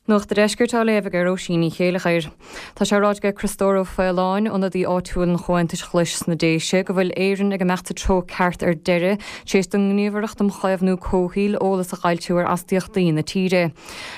Nuacht a' Deiscirt á léamh ag Róisín Ní Chéilleachair. Tá sé ráite ag Criostóir Ó Faoláin, ionadaí áitiúil an Chomhaontais Ghlais sna Déise, go bhfuil Éirinn ag imeacht sa treo ceart ar deireadh, tar éis don nGníomhaireacht um Chaomhnú Comhshaoil eolas a fhoilsiú ar astaíochtaí na tíre.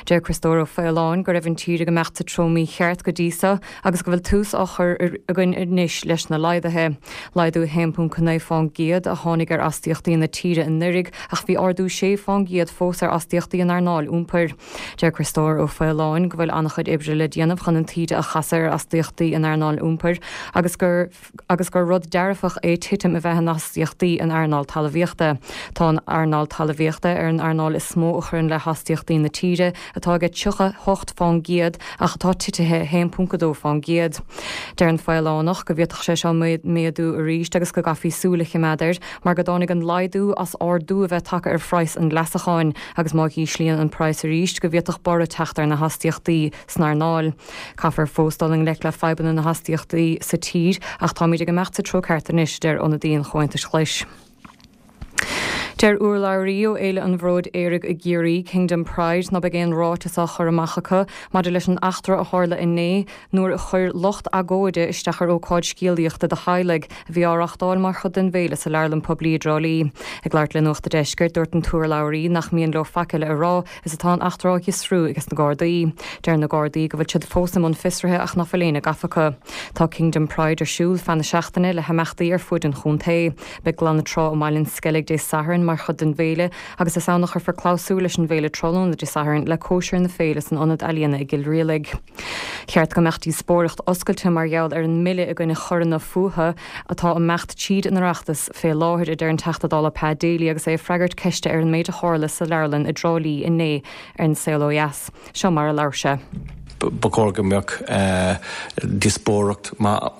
Deir Criostóir Ó Faoláin go raibh an tír ag imeacht sa treo mícheart go dtí so agus go bhfuil tús á chur againn anois leis na laghduithe. Laghdú 1.9 fán gcéad a tháinig ar astaíochtaí na tíre anuraidh ach bhí ardú 6 fán gcéad fós ar astaíochtaí an earnáil iompair. Deir Criostóir Ó Faoláin go bhfuil an-chuid oibre le déanamh chun an taoide a chasadh ar astaíochtaí in earnáil iompair agus gur agus gur rud dearfach é titim a bheith in astaíochtaí in earnáil talmhaíochta. Tá an earnáil talmhaíochta ar an earnáil is mó a chuireann le hastaíochtaí na tíre, atá ag 38 fán gcéad ach atá titithe 1.2 fán gcéad. Deir an Faolánach go bhféadfadh sé seo méadú arís agus go gcaithfí súil a chimeád air mar go dtáinig an laghdú as ardú a bheith tagtha ar phraghas an leasacháin. agus má dh'íslíonn an praghas arís go bhféadfadh borradh teacht ar na hastaíochtaí san earnáil. Caithfear fós dul i ngleic le fadhbanna na hastaíochtaí sa tír ach táimid ag imeacht sa treo ceart anois, a deir ionadaí an Chomhaontais Ghlais. Deir urlabhraí ó Fhéile an Bhróid Aeraigh i gCiarraí, Kingdom Pride, ná beidh aon ráiteas á chur amach acu maidir leis an eachtra a tharla inné nuair a chuir lucht agóide isteach ar ócáid scéalaíochta do theaghlaigh a bhí á reáchtáil mar chuid den bhféile sa Leabharlann Poiblí i dTrá Lí. Ag labhairt le Nuacht a' Deiscirt, dúirt an t-urlabhraí nach mian leo faic eile a rá is atá an eachtra á fhiosrú ages na Gardaí. Deir na Gardaí go bhfuil siad fós i mbun fiosraithe ach nach bhfuil éinne gafa acu. Tá Kingdom Pride ar siúl feadh na seachtaine le himeachtaí ar fuaid an chontae. Beidh glanadh trá i mBaile an Sceilg Dé Sathairn mar chuid den bhféile agus is ann a chuirfear clabhsúr leis an bhféile tráthnóna Dé Sathairn le cóisir na féile san Ionad Ealaíona i gCill Rialaig. Cheart go mbeadh díospóireacht oscailte mar gheall ar an mbille i gcoinne choireanna fuatha atá ag imeacht tríd an Oireachtas fé láthair, a deir an Teachta Dála Pat Daly agus é ag freagairt ceiste ar an méid a tharla sa leabharlann i dTrá Lí inné ar An Saol Ó Dheas. Seo mar a labhair sé. Ba chóir go mbeadh díospóireacht maith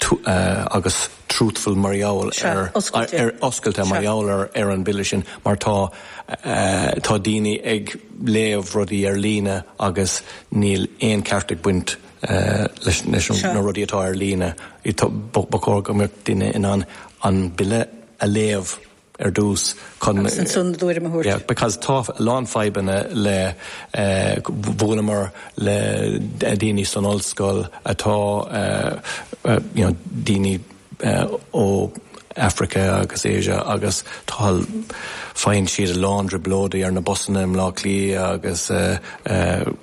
agus truthful mar gheall ar, ar, oscailte mar gheall ar ar an bille sin mar tá tá daoine ag léamh rudaí ar líne agus níl aon ceart ag baint leis leis na rudaí atá ar líne. Ba chóir go mbeadh duine in ann an bille a léamh ar dtús chun. Agus ansan a dtuairim a thabhairt. Yeah, because tá a lán fadhbanna le, bhuaileamar le daoine san ollscoil atá, you know, daoine ó Africa agus Asia agus tá, faigheann siad a lán trioblóidí ar na busanna i mBleá Cliath agus,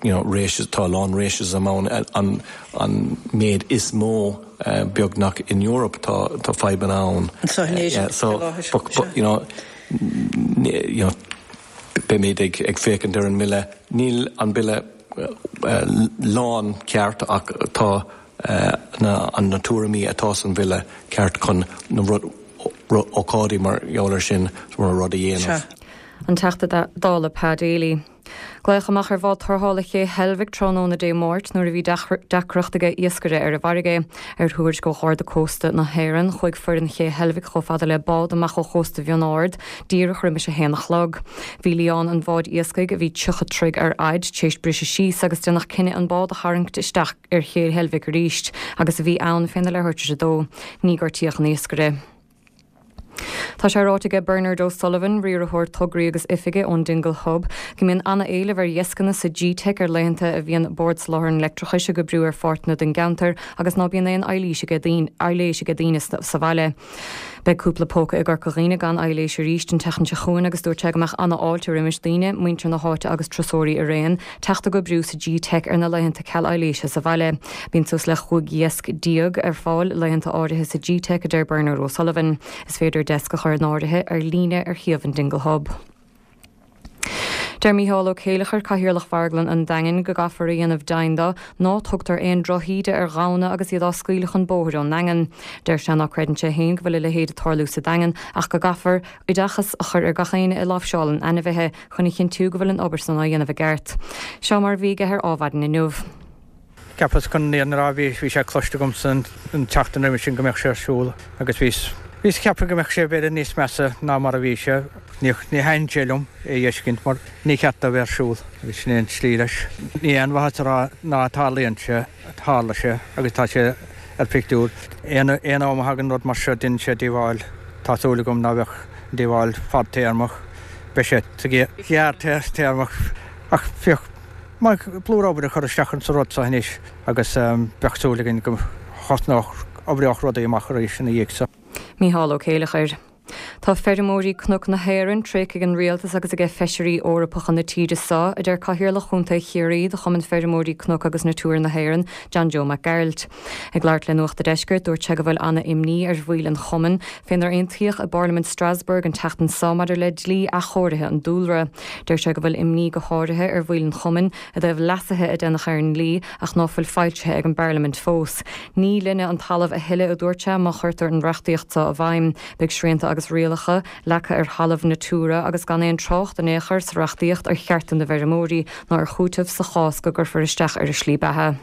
you know, racism, tá a lán racism ann, an, an méid is mó. beagnach in Europe tá tá fadhbanna ann. Anseo in Éirinn faoi láthair. You know, you know, beimid ag ag féachaint ar an mbille. Níl an bille lán ceart ach tá na na tuairimí atá san bhille ceart chun na rud ócáidí mar gheall ar sin rud a dhéanamh. An Teachta Dála Pa Daly. Glaodh amach ar bhád tarrthála Ché Heilbhic tráthnóna Dé Máirt nuair a bhí deacracht ag iascaire ar an bhfarraige. Ar thuairisc ó Gharda Cósta na hÉireann, chuaigh foireann Ché Heilbhic chomh fada le bád amach ó chósta Bhionn Ard díreach roimis a haon a chlog. Bhí lián an bháid iascaigh, a bhí 30 troigh ar fhaid, tar éis briseadh síos agus déanadh cinneadh an bád a tharraingt isteach ar Ché Heilbhic arís agus a bhí ann féna leathuair tar éis a dó. Ní gortaíodh an iascaire. Tá sé ráite aige Bernard O'Sullivan, riarthóir tograí agus oifige ón Dingle Hub, go mbíonn ana-éileamh ar dheascanna sa G-Teic ar laethanta a bhíonn Bord Soláthair an Leictreachais ag oibriú ar pháirteanna den gceantar agus ná bíonn aon ailís aige daoine sa bhaile. Beidh cúpla póca i gCorca Dhuibhne gan ailís arís an tseachtain seo chugainn agus dúirt sé go mbeadh ana-fháilte roimis daoine, muintir na háite agus turasóirí araon, teacht ag oibriú sa G-Teic ar na laethanta ceal ailíse sa bhaile. Bíonn suas le 15 dheasc ar fáil laethanta áirithe sa G-Teic, a deir Bernard O'Sullivan. Is féidir deasc a chur in áirithe ar líne ar shuíomh an Dingle Hub. Deir Mícheál Ó Céileachair, Cathaoirleach Mharglann an Daingin, go gcaithfear a dhéanamh deimhin de ná tugtar aon drochíde ar ghamhna agus iad á scaoileadh chun bóthair ón nDaingean. Deir sé ná creideann sé féin go bhfuil a leithéid ag tarlú sa Daingean ach go gcaithfear oideachas a chur ar gach éinne a láimhseálann ainmhithe chun a chinntiú go bhfuil an obair san á dhéanamh i gceart. Seo mar a bhí aige ar Ádhmhaidin inniu. Cheapas chun an fhírinne a rá, bhí, bhí sé cloiste agamsa an tseachtain roimhe sin go mbeadh sé ar siúl agus bhíos, bhíos ag ceapadh go mbeadh sé b'fhéidir níos measa ná mar a bhí sé. Ní, ní thaitníonn sé liom é a fheiscint mar ní cheart dó bheith ar siúl agus sin é an tslí leis. Ní aon mhaitheas a rá ná tarlaíonn sé, tharla sé agus tá sé ar phictiúr. Aon, aon am a thagann rud mar seo déanann sé díobháil. Tá súil agam ná bheadh an díobháil fadtéarmach, beidh sé sa ghearrtéarmach ach féach. maith plúr obair a chur isteach insa rud so anois agus bheadh súil againn go thosnódh, oibreodh rudaí amach arís ina dhiaidh so. Mícheál Ó Céileachair. Tá feirmeoirí Cnoc na hÉireann tréigthe ag an Rialtas agus aige Feisirí Eorpacha na tíre so, a deir Cathaoirleach Chontae Chiarraí de Chumann Feirmeoirí Cnoc agus Natura na hÉireann, John Joe Mac Gearailt. Ag labhairt le Nuacht a' Deiscirt, dúirt sé go bhfuil ana-imní ar bhaill an chumainn fénar aontaíodh i bParlaimint Strasbourg an tseachtain so maidir le dlí athchóirithe an dúlra. Deir sé go bhfuil imní go háirithe ar bhaill an chumainn i dtaobh leasuithe a déanadh ar an ndlí ach ná fuil foilsithe ag an bParlaimint fós. Ní linne an talamh a thuilleadh, a dúirt sé, má chuirtear an reachtaíocht seo i bhfeidhm. Beidh srianta agus rialacha leagtha ar thalamh Natura agus gan aon trácht in aon chor sa reachtaíocht ar chearta na bhfeirmeoirí ná ar chúiteamh sa chás go gcuirfear isteach ar a slí beatha.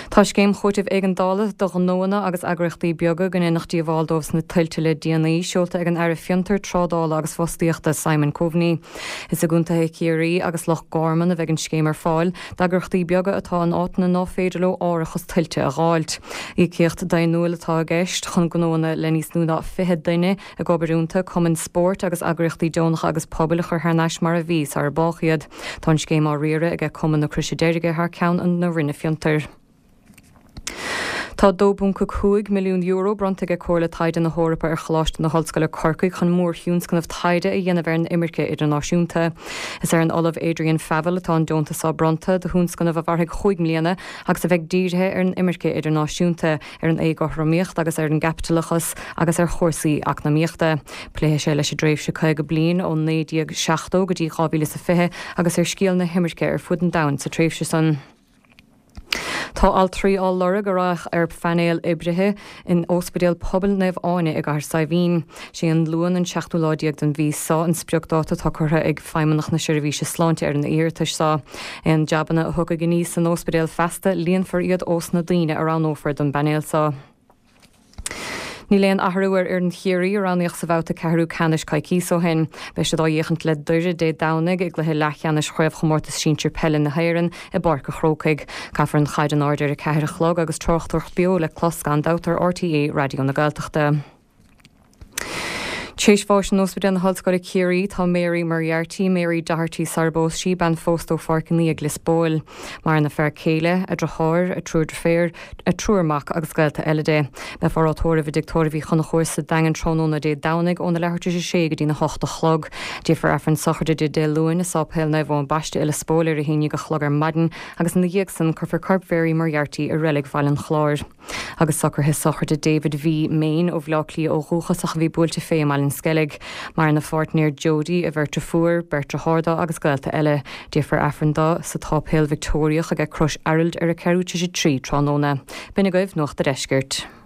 Tá scéim chúitimh éigeandála do ghnóanna agus eagraíochtaí beaga go ndéanadh díobháil dóibh sna tuilte le déanaí seolta ag an Aire Fiontar, Trádála agus Fostaíochta Simon Coveney. Is i gcontaetha Chiarraí agus Loch Garman a bheidh an scéim ar fáil d'eagraíochtaí beaga atá in áiteanna ná féidir leo árachas tuilte a dh'fháilt. Íocaíocht daonnúil atá i gceist chun gnóanna le níos lú ná 20 duine ag obair iontu, cumainn spóirt agus eagraíochtaí deonacha agus pobail a chur thar n-ais mar a bhí sara bádh iad. Tá an scéim á riaradh aige Cumann na Croise Deirge thar ceann na Roinne Fiontair. Tá €2.5 milliún bronnta aige Comhairle Taighde na hEorpa ar Choláiste na hOllscoile Corcaigh chun mórthionscnamh taighde a dhéanamh ar an imirce idirnáisiúnta. Is ar an Ollamh Adrian Favell atá an deontas seo bronnta, do thionscnamh a mhairfidh chúig mbliana agus a bheidh dírithe ar an imirce idirnáisiúnta, ar an éagothromaíocht agus ar an gcaipitileachas agus ar chúrsaí eacnamaíochta. Pléifidh sé leis an dtréimhse 50 bliain ó 1970 go dtí 2020 agus ar scéal na himirce ar fud an domhain sa tréimhse san. Tá altraí á lorg a raghadh ar phainéal oibrithe in Ospidéal Pobail Naomh Áine i gCathair Saidhbhín. Sé an Luan an seachtú lá déag den mhí seo an spriocdáta atá curtha ag Feidhmeannacht na Seirbhíse Sláinte ar na hiarratais seo. Aon jabanna a thiocfaidh aníos san ospidéal feasta, líonfar iad ós na daoine a roghnófar don bpainéal seo. Níl aon athrú ar fhoireann Chiarraí a roghnaíodh sa bhabhta ceathrú ceannais coicíos ó shin. Beidh siad á fhéachaint le Doire Dé Domhnaigh i gcluiche leathcheannais Chraobhchomórtas Sinsir Peile na hÉireann i bPáirc a' Chrócaigh. Caithfear an chaid in airde ar a 4 a chlog agus tráchtaireacht beo le clos gan dabht ar RTÉ Raidió na Gaeltachta. Tréis bháis in Ospidéal na hOllscoile Ciarraí tá Mary Moriarty, Mary Doherty sara bpós sí, bean phósta ó Pháirc an Fhia ag Lios Póil. Maireann a fear céile, a deartháir, a triúr deirféar, a triúr mac agus gaolta eile di. Beifear á tórramh i dTigh Tórraimh Uí Chonchúir sa Daingean tráthnóna Dé Domhnaigh óna leathuair tar éis a sé go dtína hocht a chlog. Déanfar Aifreann sochraide di Dé Luain i Sáipéal Naomh Eoin Baiste i Lios Póil ar a haon déag a chlog ar maidin agus ina dhiaidh san cuirfear corp Mhary Moriarty i Reilig Bhaile an Chláir. Agus socruithe sochraide David V. Main ó Bhleá Cliath ó dhúchas ach a bhí buailte fé i mBaile an Sceilg. Maireann a pháirtnéir Jodie, a bheirt deirfiúr, beirt deartháir dó agus gaolta eile. Déanfar Aifreann dó sa tSáipéal Victeoiriach aige Crois Araild ar a ceathrú tar éis a 3 tráthnóna. B'in agaibh Nuacht a' Deiscirt.